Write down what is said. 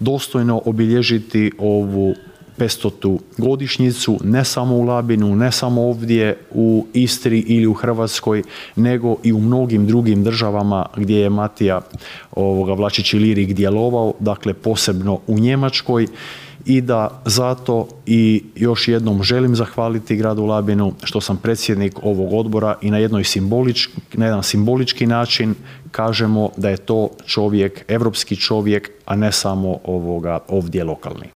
dostojno obilježiti ovu 500. godišnjicu, ne samo u Labinu, ne samo ovdje u Istri ili u Hrvatskoj, nego i u mnogim drugim državama gdje je Matija Vlačić Ilirik djelovao, dakle posebno u Njemačkoj, i da zato i još jednom želim zahvaliti gradu Labinu što sam predsjednik ovog odbora i na jedan simbolički način kažemo da je to čovjek, europski čovjek, a ne samo ovdje lokalni.